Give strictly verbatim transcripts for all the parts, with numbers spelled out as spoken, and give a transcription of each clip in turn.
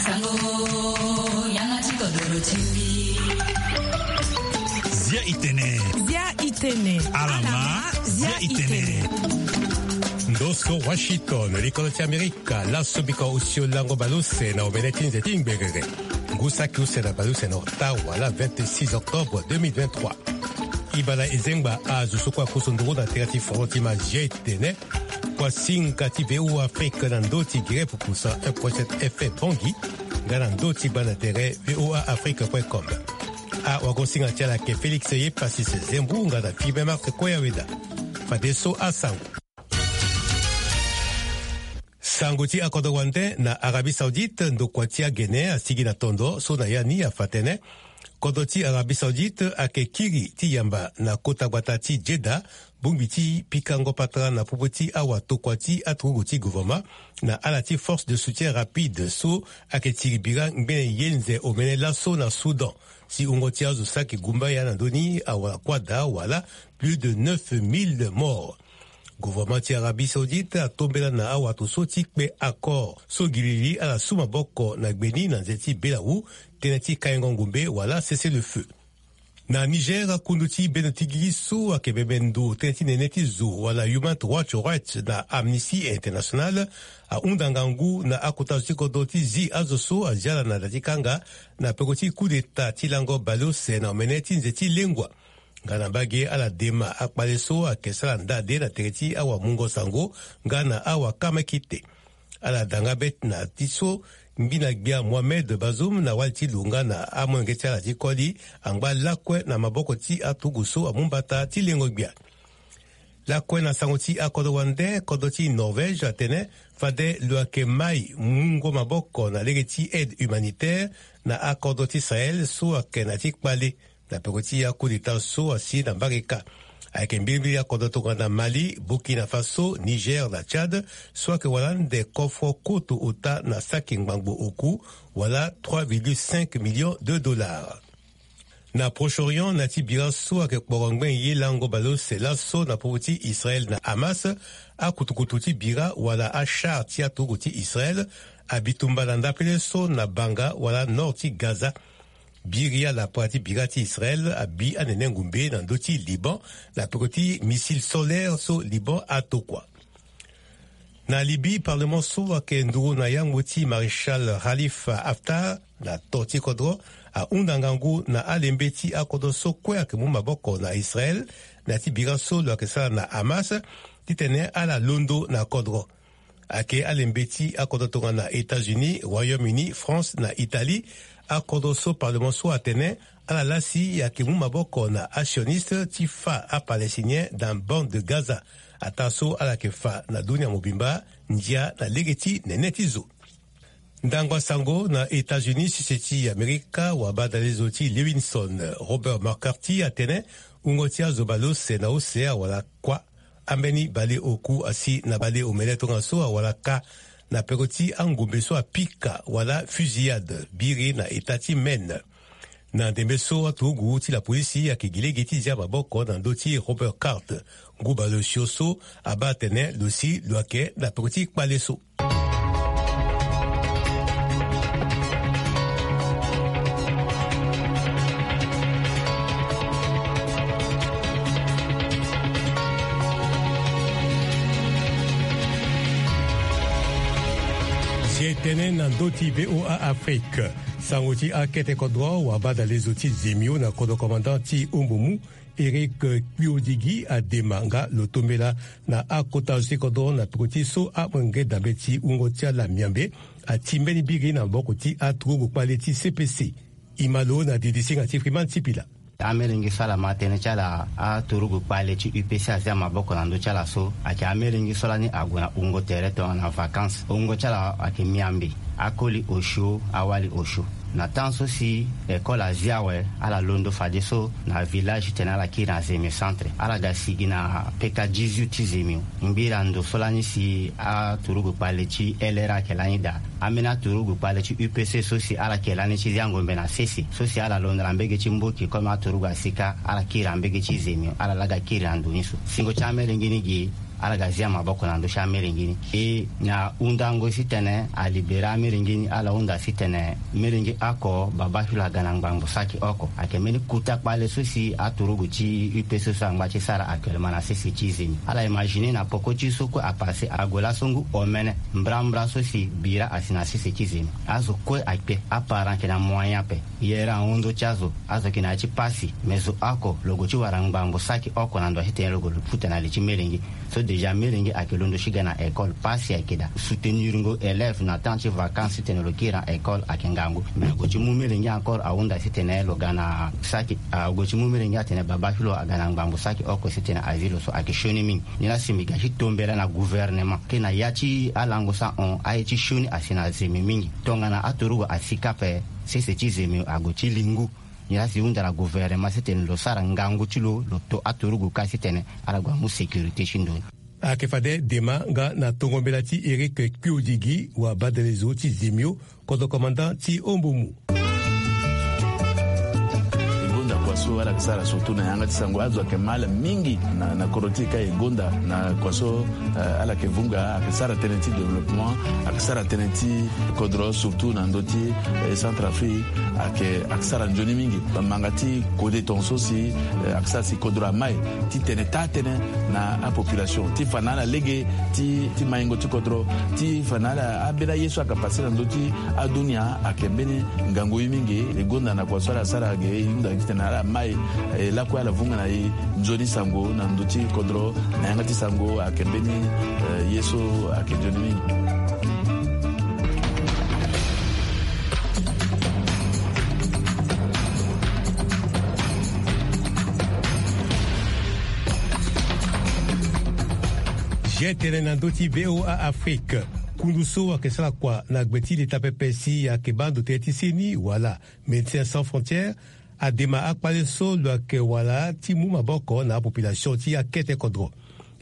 Sango, yanga ti kodoro ti mbi. Zia i tene. Zia i tene. Ala ma, zia i tene. Ndo so Washington, likolo ti Amerika, laso bika osio lango baleuse na omene ti nze ti ngbengere. Ngu saki use na baleuse na ota wala vingt-six octobre deux mille vingt-trois. Ibala ezengba azo so kue akoso nduru na tere ti foro ti ma zia i tene. Kua singa ti V O A Afrique na ndö ti gere pupusa un point sept F M Bangui, nga na ndö ti banda tere V O A Afrique point com. Awagosinga ti ala ayeke Félix Yepasis Zembu nga na Firmin Marc Koyaweda. Fadeso asango. Sango ti akodro wande na Arabie Saoudite, ndokua ti agene asigi na tondo so na ya ni afa tënë. Kodro ti Arabie Saoudite ayeke kiri ti yamba na kota gbata ti Jeddah, bongbi ti pikango patara na popo ti awatokua ti aturugu ti gouvernement na ala ti force de soutien rapide so ayeke tiri bira ngbene ye nze omene laso na Soudan. Si wungo ti azo saki gumbaya na ndö ni awara kuâ daa wala plus de neuf mille morts. Gouvernement ti Arabie Saoudite atombela na awato so ti kpe accord so gilili ala su maboko na gbe ni na nze ti belawu, tënë ti kaingo ngumbe wala cessez-le-feu. Na Niger, akundu ti bendo ti gigi so ayeke bebe ndo tënë ti nene ti zo wala Human Rights Watch na Amnesty International ahunda ngangu na akota zo ti kodro ti zi azo so azi ala na da ti kanga na peko ti coup d'état ti lango baleuse na omene ti nze ti lengua. Nga na mbage ala dema akpale so ayeke sara ndade na tere ti awamungo sango nga na awakamekite. Ala da nga be na ti so ngbina gbia Mohamed Bazoum na wali ti lo nga na amolenge ti ala ti koli angba lakue na maboko ti aturugu so amu mbata ti lengo gbia. Lakue na sango ti akodro wande, kodro ti Norvège atene fade lo yeke mai mungo maboko na lege ti aide humanitaire na akodro ti Sahel so ayeke na ti kpale na peko ti ya coup d'état so asi na mbage kâ. Ayeke mbilimbili akodro tongana Mali, Burkina Faso, Niger na Tchad so ayeke wara ande kofro koto ota na saki ngbangbo oku wala trois virgule cinq millions de dollars. Na Proche-Orient, na ya ti bira so ayeke kporo ngbene ye lango baleuse laso na popo ti Israël na Hamas, akutukutu ti bira wala achar ti aturugu ti Israël abi tumba na ndapele so na banga wala nord ti Gaza. Biri ala para ti bira ti Israël abi anene ngumbe na ndö ti Liban na peko ti missile solaire so Liban atokua. Na Libye, parlement so ayeke nduru na yango ti maréchal Khalifa Haftar na to ti kodro ahunda ngangu na alembe ti akodro so kue ayeke mu maboko na Israël na ya ti bira so lo yeke sara na Hamas titene ala londo na kodro. Ayeke alembe ti akodro tongana États-Unis, Royaume-Uni, France na Italie. Akodro so parlement so atene ala lasi ayeke mu maboko na asioniste ti fa apalestinien dans bande de Gaza, ataa so ala yeke fa na dunia mobimba ndia na lege ti nene ti zo. Ndangba sango na États-Unis, sese ti Amerika, wabadale zo ti Lewinson Robert McCarthy atene wungo ti azo baleuse na use awara kuâ. Ambeni baleoku asi na baleomene tongaso awara kâ na peko ti angombe so apika wala fusillade biri na eta ti Maine. Na ndembe so aturugu ti lapolisi ayeke gi lege ti zia maboko na ndö ti Robert Cart. Ngu baleosio so abaa atene lo si lo yeke na peko ti kpale so. Si e tene na ndö ti V O A Afrique, sango ti akete kodro wabadale zo ti Zemio na kodro commandant ti Ombomu, Éric Kpiodigi adema nga lo tombela na akota zo ti kodro na peko ti so amolenge dambe ti wungo ti ala miambe ati mbeni biri na maboko ti aturugu kpale ti C P C. E ma lo na didisinga ti Freeman Sipila. Amelenge so ala ma tënë ti ala aturugu kpale ti U P C azia maboko na ndö ti ala so ayeke amelenge so lani ague na wungo tere tongana vacances. Wungo ti ala ayeke miambe, akoli osio, awali osio. Na temps so si école azi awe, ala londo fadeso na village titene ala kiri na Zemio centre. Ala ga sigi na peka dix-huit ti Zemio. Ngbira ndo so lani si aturugu kpale ti L R A ayeke lani daa. Ambeni aturugu kpale ti U P C so si ala yeke lani ti zia ngombe na sese, so si ala londo na mbege ti Mboki comme aturugu asi kâ, ala kiri na mbege ti Zemio, ala laa aga kiri na ndo ni so. Singo ti amelenge ni gi ala ga zia maboko na ndö ti amelenge ni. E na hundango ti tene alibere amelenge ni, ala hunda ti tene melenge oko babâ ti lo aga na ngbangbo saki oko. Ayeke mbeni kota kpale so si aturugu ti U P C so angba ti sara actuellement na sese ti Zemi. Ala imagine na poko ti so kue apase ague laso ngu omene mbrambra so si bira asi na sese ti Zemi. Azo kue akpe, aparent ayeke na moyen ape. Yere ahon ndö ti azo, azo yeke na ya ti pasi, me zo oko lo gue ti wara ngbangbo saki oko na ndo ti tene lo gue lo futa na li ti melenge. So déjà melenge ayeke londo ti ga na école, pasi ayeke daa. Soutenir ngo élève na temps ti vacances ti tene lo kiri na école ayeke ngangu. Mais ague ti mu melenge encore ahunda ti tene lo ga na saki, ague ti mu melenge atene babâ ti lo aga na ngbangbo saki oko ti tene azi lo so ayeke sioni mingi. Ni la si mbi ga ti tombela na gouvernement ke na ya ti alango so ahon aye ti sioni asi na Zemi mingi. Tongana aturugu asi kâ ape, sese ti Zemi ague ti li ngu. Nilaa si hunda na gouvernement si tene lo sara ngangu ti lo, lo to aturugu kâ si tene ala gue amu sécurité ti ndo ni. Ayeke fade dema nga na tongo mbela ti Eric Kpiodigi, wa badelezo ti Zemio, kodro commandant ti Ombomu. E gonda kua so ala yeke sara surtout na yanga ti sango, azo ayeke mal mingi na, na kodro ti e ka e gonda na kua so, eh, ala yeke vunga, ayeke sara tënë ti développement, ayeke sara tënë ti kodro, surtout na ndö ti, eh, Centrafrique, ayeke, ayeke sara nzoni mingi. Manga ti kode tongaso si, eh, ayeke sara si kodro amai ti tene taa tënë na apopulation, ti fa na ala lege ti, ti maingo ti kodro, ti fa na ala, ambeni aye so ayeke pase na ndö ti adunia, ayeke mbeni ngangu ye mingi. E gonda na kua so ala sara ge, e hunda titene ala mai, eh, lakue ala vunga na e nzoni sango na ndö ti kodro, na yanga ti sango ayeke mbeni, eh, ye so ayeke nzoni mingi. Ge tene na ndö ti V O A Afrique. Kundu so ayeke sara kua na gbe ti leta pepe si ayeke baa ndo tënë ti seni wala Médecins Sans Frontières adema akpale so lo yeke wara ti mu maboko na apopulation ti akete kodro.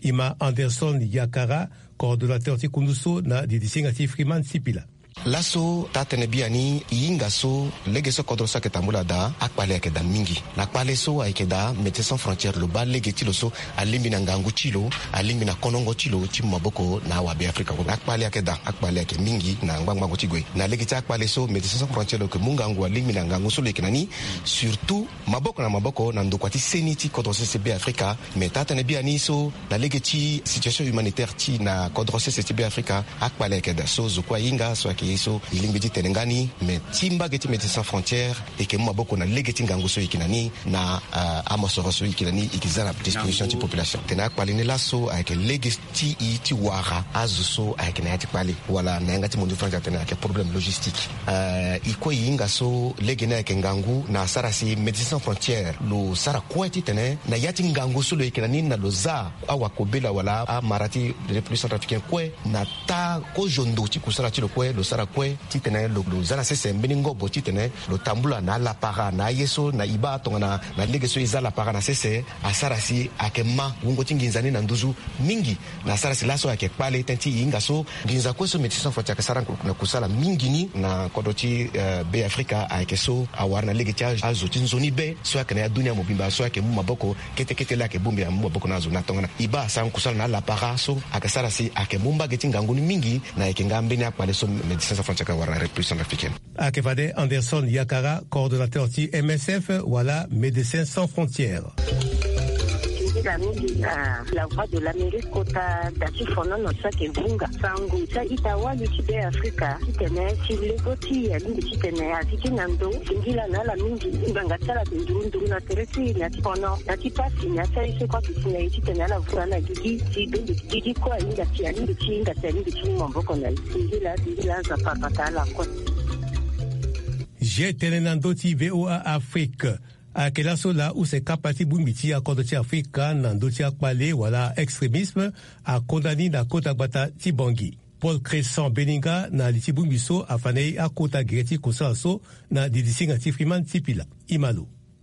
E ma Anderson Yakara, coordonnateur ti kundu so na didisinga ti Freeman Sipila. Laso taa-tënë biani e hinga so lege so kodro so ayeke tambula daa, akpale ayeke daa mingi. Na kpale so ayeke daa, Médecins Sans Frontières lo baa lege ti lo so alingbi na ngangu ti lo, alingbi na konongo ti lo ti mu maboko na awabe Afrika. Akpale ayeke daa, akpale ayeke mingi na ngbangbango ti gue. Na lege ti akpale so Médecins Sans Frontières lo yeke mu ngangu, alingbi na ngangu so lo yeke na ni, surtout maboko na maboko na ndokua ti seni ti kodro sese Be Afrika. Me taa-tënë biani so na lege ti situation humanitaire ti na kodro sese ti Be Afrika, akpale ayeke daa. So zo kue ahinga so ayeke ye so e lingbi ti tene nga ni. Me ti mbage ti Médecins Sans Frontières e yeke mu maboko na lege ti ngangu so e yeke na ni na, ah, amosoro so e yeke na ni, e yeke za na disposition ti population. Tene akpale ni laso ayeke lege ti e ti wara azo so ayeke na ya ti kpale, wala na yanga ti mondu ti France atene ayeke problème logistique. Euh, e kue e hinga so lege ni ayeke ngangu na asara si Médecins Sans Frontières lo sara kue titene na ya ti ngangu so lo yeke na ni na lo za awakobela wala amara ti République Centrafricaine kue na taa kozo ndo ti kusala ti lo kue, lo sara kue titene lo, lo za na sese mbeni ngobo titene lo tambula na alapara na aye so na e baa tongana na lege so e za lapara na sese, asara si ayeke ma wungo ti nginza ni na nduzu mingi. Na asara si laso ayeke kpale tënë ti e hinga so nginza kue so Médecins Sans Frontières ayeke sara na kusala mingi ni na kodro ti, eh, Be Afrika ayeke so awara na lege ti azo ti nzoni be so ayeke na ya dunia mobimba so ayeke mu maboko kete kete laa ayeke bongbi na mu maboko na azo na tongana e baa asara kusala na alapara so ayeke sara si ayeke mu mbage ti ngangu ni mingi. Na ayeke nga mbeni akpale so Médecins Sans Frontières ayeke wara na République Centrafricaine. Ayeke fade Anderson Yakara, coordonnateur ti M S F wala Médecins Sans Frontières. Singila mingi na La Voix de l'Amérique kota da ti fonono so ayeke vunga sango ti a-ita wali ti Be Afrika titene ti lego ti e alingbi titene azi ti na ndo. Singila na ala mingi ngbanga ti ala ayeke nduru nduru na tere ti e na ya ti fono na ya ti pasi na ya ti aye so kue ayeke si na e titene ala vunga ala gigi ti bembe. Gigi kue ahinga ti alingbi ti hinga ti alingbi ti mu maboko na e. Singila, singila, Nzapa abata ala kue. Ge tënë na ndö ti V O A Afrique. Ayeke laso laa use kapa ti bongbi ti akodro ti Afrika na ndö ti akpale wala extrémisme akonda ni na kota gbata ti Bangui. Paul Crescent Beninga na li ti bongbi so afa na e akota gere ti kusala so na didisinga ti Freeman Sipila. E ma lo.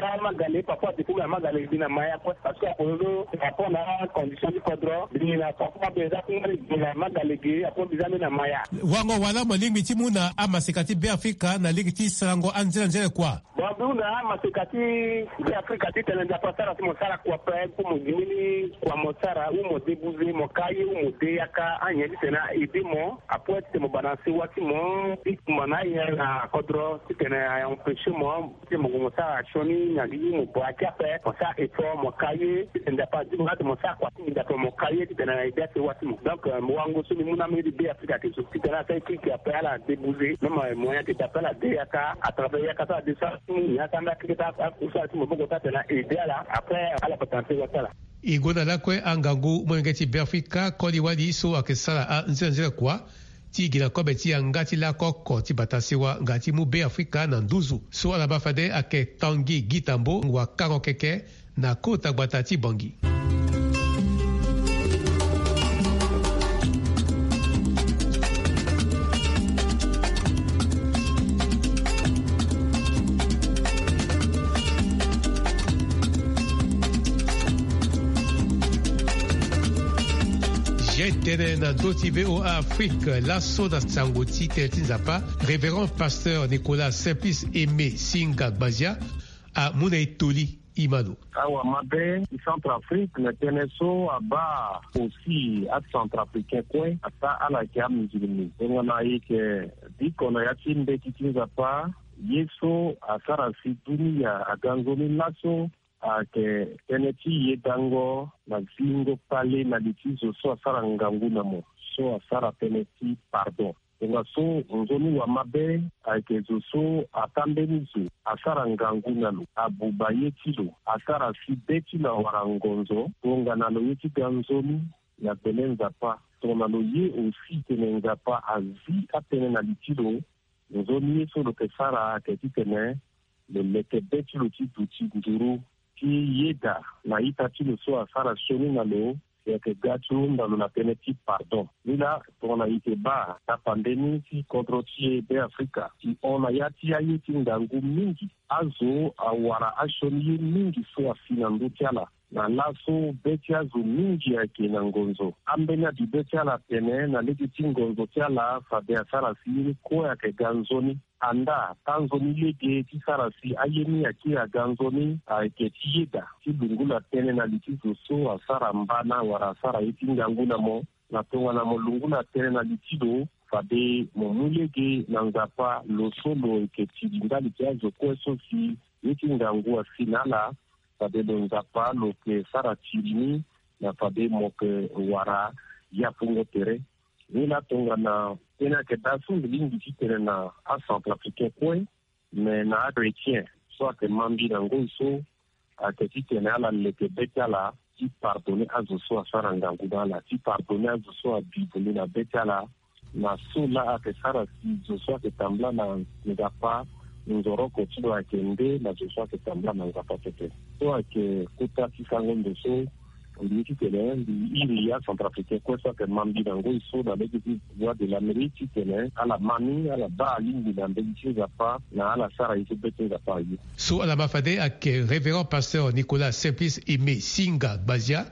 gara magale parfois depuis na magale gi na maya kue parce que akozo rapport na condition ti kodro gi na parfois mbi eza ti ngari gi na magale gi apo mbi za mbi na maya. Wango wala mo lingbi ti mu na amaseka ti Beafrika na lege ti sarango anzere anzere kua? Bon mbi hunda amaseka ti Beafrika titene nzapa asara ti mo sara kua pe po mo gi mbeni kua mo sara ou mo debuze mo ka ye ou mo de yaka anyen titene a aide mo apo titene mo bana sewa ti mo ti kumba na ayen na kodro titene a empêcher mo ti mo gue mo sara sioni na gi mo braquer ape mo sara effort mo ka. Ye titene Nzapa adi mo nga titene mo sara kua ti mo, Nzapa mo ka ye titene na ede ase wa ti mo. Donc, euh, mo wango so mbi mu na ambeni ti Be Afrika ayeke zo titene asara ye kiri ke, après ala débouger même, euh, moyen ke d'après ala de yaka, à travers yaka so ala de so ala ti mu ni asa ambeni akeke ti akusala ti maboko so atene na ede ala, après ala patana ti wa ti ala. E gue na lakue angangu molenge ti Be Afrika koli wali so ayeke sara anzenanzena kua ti gi na kobe ti yanga ti lako oko ti bata sewa nga ti mu Be Afrika na nduzu. So ala baa fade ayeke Tanguy Guittambo, wakango keke na kota gbata ti Bangui. Ge tene na ndö ti V O A Afrique laso na sango ti tënë ti Nzapa, Révérend Pasteur Nicolas Simplice Aimé Singa Gbazia amu na e toli. Imano. Awamabe ti Centrafrique na tënë so abaa aussi aCentrafricain kue ata ala yeke amusulmi. Tongana e yeke biko na ya ti mbeti ti Nzapa, ye so asara si dunia aga nzoni laso ayeke tënë ti yedango na zingo kpale na li ti zo so asara ngangu na mo, so asara tënë ti pardon. Tongaso nzoni wamabe ayeke zo so ata mbeni zo asara ngangu na lo, abuba ye ti lo, asara si be ti lo awara ngonzo, tongana lo ye ti ga nzoni na gbele Nzapa. Tongana lo ye aussi tene Nzapa azi atënë na li ti lo, nzoni ye so lo yeke sara ayeke titene lo leke be ti lo ti duti nduru ti yeda na ita ti lo so asara sioni na lo, si ayeke ga ti hunda lo na tënë ti pardon. Ni laa tongana e yeke baa tapande ni ti kodro ti e Be Afrika, e hon na ya ti aye ti ngangu mingi. Azo awara asioni ye mingi so asi na ndö ti ala. Na laso be ti azo mingi ayeke na ngonzo. Ambeni abibe ti ala atene na lege ti ngonzo ti ala fade asara si ye ni kue ayeke ga nzoni. Andaa taa nzoni lege ti sara si aye ni akiri aga nzoni ayeke ti yeda ti lungula tënë na li ti zo so asara mbana wala asara ye ti ngangu na mo. Na tongana mo lungula tënë na li ti lo, fade mo mu lege na Nzapa lo so lo yeke tiri ndali ti azo kue so si ye ti ngangu asi na ala. Fade lo Nzapa lo yeke sara tiri ni na fade mo yeke wara yapungo tere. Ni laa tongana tënë ayeke daa so mbi lingbi ti tene na aCentrafricain kue, me na achrétien so ayeke ma mbi na ngoi so, ayeke titene ala leke be ti ala ti pardonner azo so asara ngangu na ala, ti pardonner azo so abi bundu na be ti ala. Na so laa ayeke sara si zo so ayeke tambula na Nzapa nzoroko ti lo ayeke nde na zo so ayeke tambula na Nzapa pepe. So ayeke kota ti sango ndo so mbi ye titene mbi iri aCentrafricain kue so ayeke ma mbi na ngoi so na lege ti Voix de l'Amérique titene ala ma ni, ala baa alingbi na mbeni ti Nzapa na ala sara ye so be ti Nzapa aye. So ala ma fade ayeke Révérend Pasteur Nicolas Simplice Aimé Singa Gbazia.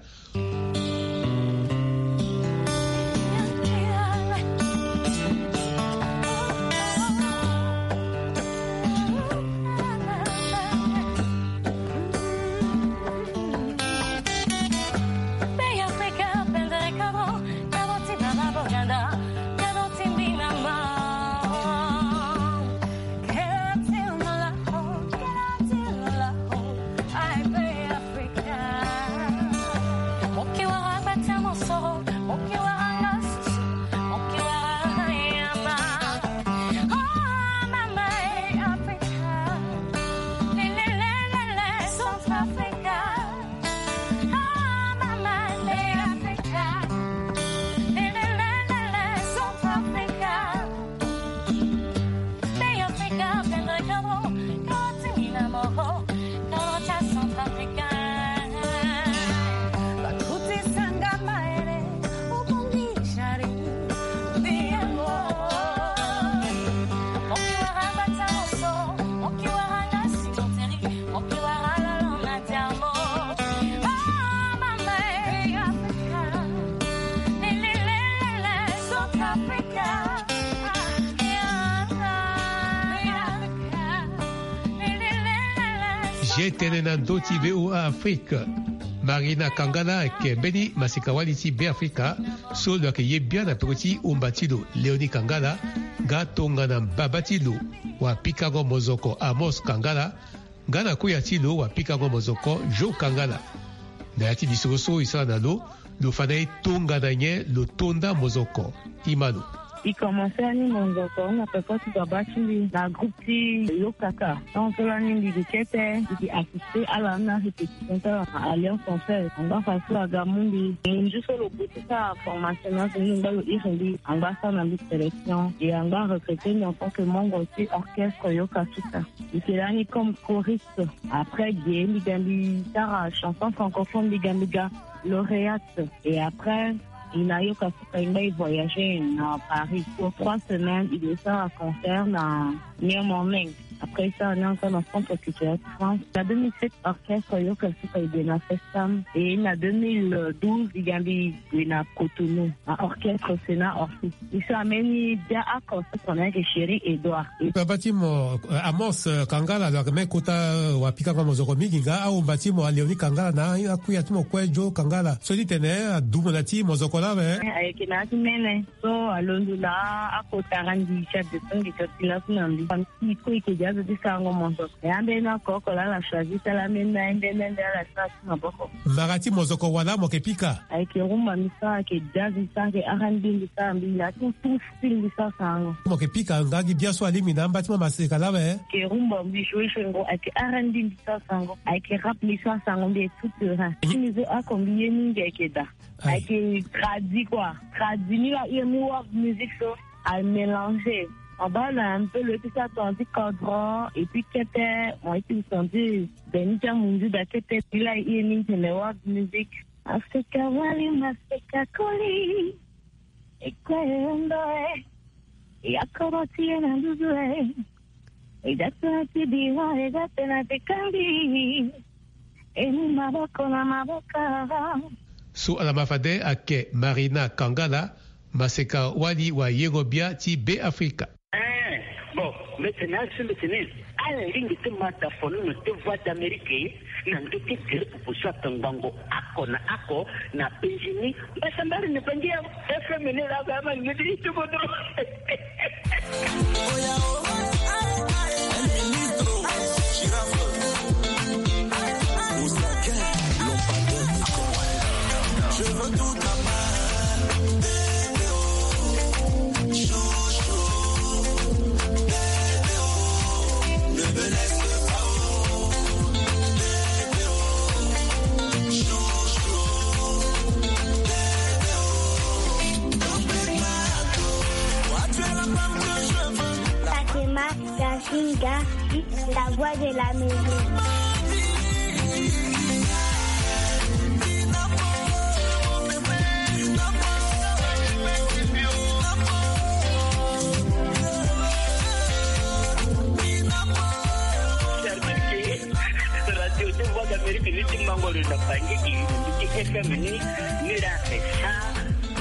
Ge tene na ndö ti V O A Afrique. Marina Kangala ayeke mbeni masika-wali ti Beafrika so lo yeke ye biani na peko ti umba ti lo, Léonie Kangala, nga tongana mbaba ti lo wapikango mozoko Amos Kangala, nga na kuya ti lo wapikango mozoko Jo Kangala. Na ya ti lisoro so e sara na lo, lo fa na e tongana nyen lo to nda mozoko. Imano. E commencer ni mozoko na peko ti baba ti mbi na groupe ti Yokaka. Tant so lani mbi gi kete, mbi gi assister ala na répétition ti ala na Alliance Française. Angba fa so aga mu mbi. Nzu so lo buti sa formation na so ni ngba lo iri mbi. Angba sa na mbi sélection. Et angba recruter mbi en tant que membre ti orchestre Yokasuka. Mbi ke lani comme choriste. Après ge mbi ga mbi sara chanson francophone, mbi ga mbi ga lauréate. Et après, e na Yokasuka e ngba e voyager na Paris pour trois semaines, e ke sara concert na New Morning. Après, e sara ni encore na Centre Culturel de France. Na deux mille sept, orchestre Yokasuka e gue na Festam. Et na deux mille douze, e ga mbi gue na Cotonou, na orchestre Sénat Orpheus. E so ambeni bia oko so tongana ayeke Chéri Edouard. Papa ti mo, eh, Amos, eh, Kangala, lo yeke même kota, eh, wa pikango mozoko mingi nga, ahomba ti mo Léonie Kangala na akuya ti mo kue Joe Kangala. So ti tene adumu na ti mozoko lawe. Eh, ayeke na ya ti mene. So alondo laa akota randi ti adeso ngi ti ti laso na mbi. Famille ti e kue e yeke dia azo ti sarango mozoko. E ambeni oko oko laa ala choisi ti ala ambeni na ye nde nde nde ala sara ti maboko. Mbara ti mozoko wala mo yeke pika? Ayeke rumba mbi sara, ayeke jazz mbi sara, ayeke R and B mbi sara, mbi na tout, tout style mbi sara sarango. Mo yeke pika nga gi bia so alingbi na amba ti mo maseka lawe? Ayeke rumba mbi joue joue ngo, ayeke R and B mbi sara sarango, ayeke rap mbi sara sarango, mbi est tout terrain. Mhm. Ti mbi so oko mbi ye mingi ayeke daa. Aye. Ayeke tradi quoi. Tradi ni la, e mu world music so amélanger. En bas là un peu le ti sa ton ti kodro et puis kete mo ye ti senti beni ti amunzu da kete ti la e ye ni tene world music. Maseka wali, maseka koli. E kue e ondo e. E akoro ti e na nduzu e. E da tena ti bira, e da tena ti kandi. E mu maboko na maboko. So ala ma fade ayeke Marina Kangala, maseka wali wayengo bia ti Be Afrika. Eh, bon, mbi tene asi mbi tene, ala lingbi ti ma ta fono na te Voix d'Amérique, na ndö ti gere pupu so atongbango oko na oko na penzi ni. Mbasambari ni penzi ya F M ni la ba ma ni ti bodo. Fatima Gasinga, la voix de la maison. Radio ti Voix d'Amérique ni ti mango lo na Bangui, i ti F M ni, ni la F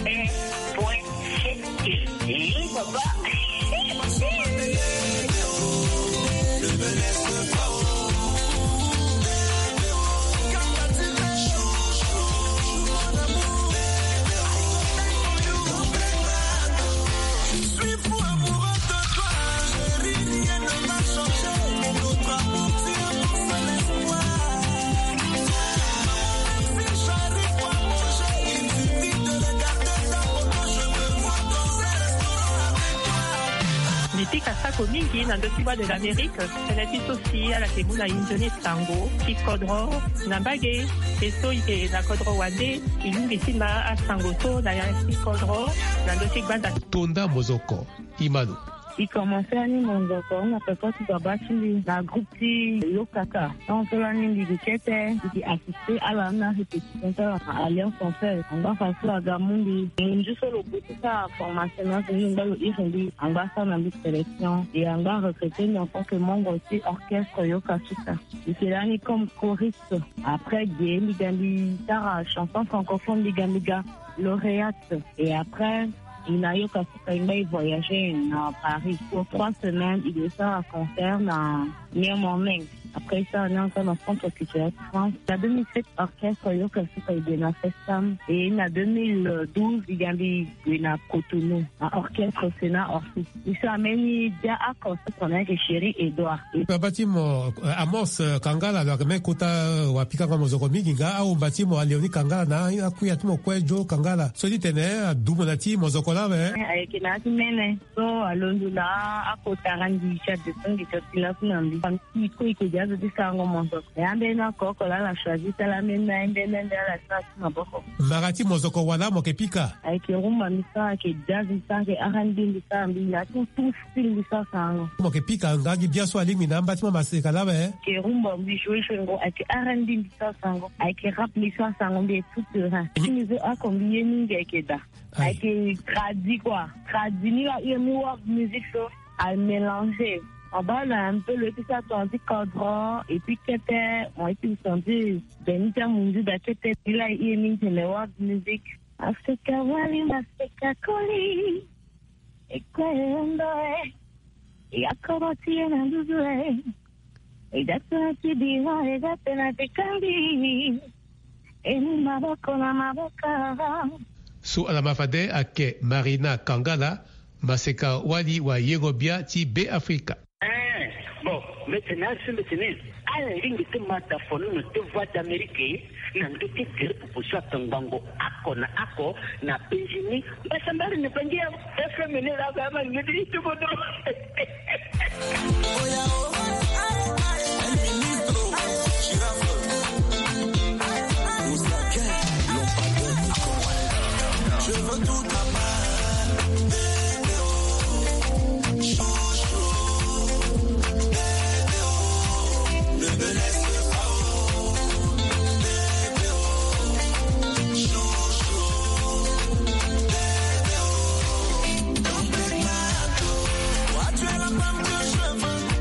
M point sept. Eh, papa. Mbi pika sako mingi na ndö ti Voix de l'Amérique. Tënë ti so si ala yeke mu na e nzoni sango ti kodro na mbage, e so e yeke na kodro wande, e lingbi ti ma asango so na ya ti kodro na ndö ti gbanda. To nda mozoko, e ma lo. E commencer ni mozoko na peko ti baba ti mbi na groupe ti Yokaka. Tant so lani mbi gi kete, mbi gi assister ala na répétition ti ala na Alliance Française. Angba fa so aga mu mbi. Nzu so lo buti sa formation na so ni ngba lo iri mbi. Angba sa na mbi sélection. Et angba recruter mbi en tant que membre ti orchestre Yokasuka. Mbi ke lani comme choriste. Après ge mbi ga mbi sara chanson francophone, mbi ga mbi ga lauréate. Et après, e na Yokasuka e ngba e voyager na Paris pour trois semaines, e ke sara concert na New Morning. Après ça, on est ensemble en France, parce que tu es en France. Na deux mille sept, orchestre Yoka Suka e gue na Festam. Et na deux mille douze, e ga mbi gue na Cotonou. Na orchestre Sénat Orsi. Mbi so ameni dia ako so tongana ayeke Chéri Edouard. Baba ti mo, eh, Amos, eh, Kangala, lo ayeke même kota, eh, wapikango mozoko mingi nga, ahomba ti mo Léonie Kangala na akuya ti mo kue Joe Kangala. So ti tene, eh, adumo na ti mozoko lawe. Eh, ayeke na ya ti mene. So alondo na akota randi ti adeso ngi ti asi laso na mbi. Famille ti ko iko dia zo ti sarango mozoko. Ya mbeni oko oko la ala choisi ti ala mbeni na ye mbeni mbeni ala ti na ti maboko. Mara ti mozoko wala mo yeke pika? Ayeke rumba mbi sara, ayeke jazz mbi sara, ayeke R and B mbi sara, mbi na tout, tout style mbi sara sarango. Mo yeke pika nga gi bia so alingbi na amba ti mo maseka lawe? Ayeke rumba mbi joue joue ngo, ayeke R and B mbi sara sarango, ayeke rap mbi sara sarango, mbi est tout terrain. Ti mbi so oko mbi ye mingi ayeke da. Aïe. Ayeke tradi quoi. Tradi ni la hire ni world music so. A mélanger. En bas là un peu le ti sa ton ti kodro et puis kete, moi ti son ti ben ni ti amunzu da kete ni la hire ni tene world music. Africa wali maseka koli. E kue e ondo e. E akoro ti e na nduzu e. E da tena ti bira, e da tena ti kangi. E ni maboko na maboko. So ala ma fade ayeke Marina Kangala, maseka wali wayengo bia ti Be Afrika. Eh, bon, mbi tene asi mbi tene. Ala lingbi ti ma ta fono na ti Voix d'Amérique na ndö ti gere popo so atongbango oko na oko na Benjini. Mbasambari na Bangi ya F M ni la ba ma ni ti bodo.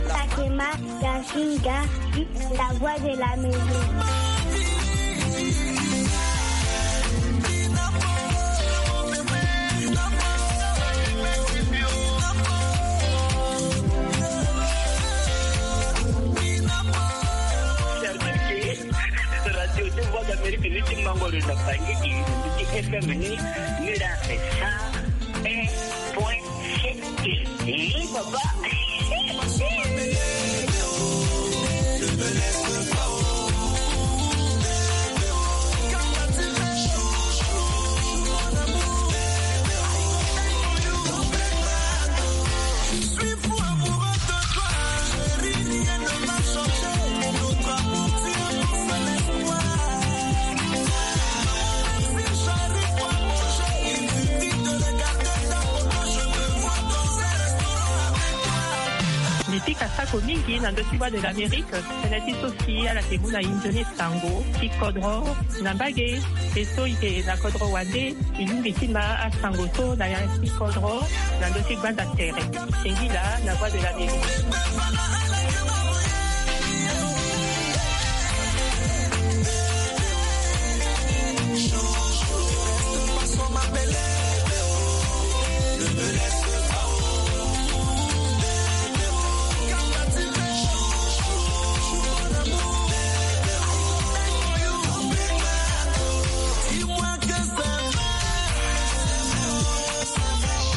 Takema Gasinga, la voix de la maison. Radio ti Voix d'Amérique ni ti Mangoro na Bangui, ti F M ni, ni la F M point sept. Eh, papa. Mbi pika sako mingi na ndö ti Voix de l'Amérique, tënë ti so si ala yeke mu na e nzoni sango ti kodro na mbage, e so e yeke na kodro wande. E lingbi ti ma asango so na ya ti kodro na ndö ti gbanda tere. Singila na Voix de l'Amérique.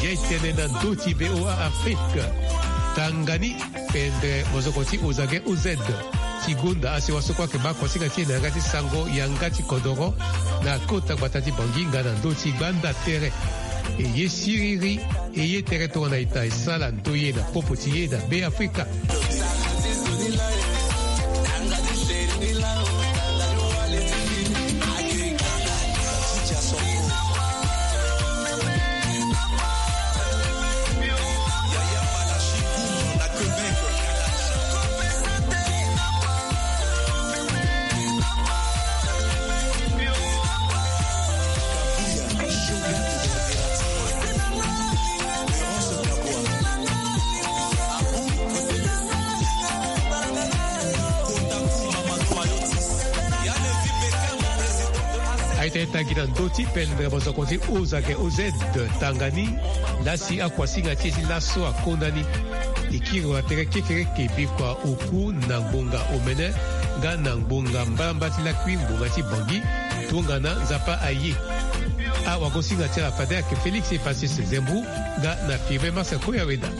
Ye tene na ndö ti V O A Afrique. Tanga ni pendere mozoko ti Ozage O Z. Ti gonda asewa so kue ayeke baa kuasinga ti e na yanga ti sango yanga ti kodoro na kota gbata ti Bangui nga na ndö ti gbanda tere. E ye siriri, e ye tere tongana ita e sala ndoye na popo ti e na Be Afrika. Aye ti tangi na ndö ti pendere mozoko ti Ozage O Z, tanga ni, laa si akuasinga ti e ti laso akonda ni. E kiri wa tere kekere ke bikua oku na ngbonga omene nga na ngbonga mbalambala ti lakui ngbonga ti Bangui. Tongana Nzapa aye, awagosinga ti ala fade ayeke Félix Epasis Zembou nga na Firmin Marcel Koya Weda.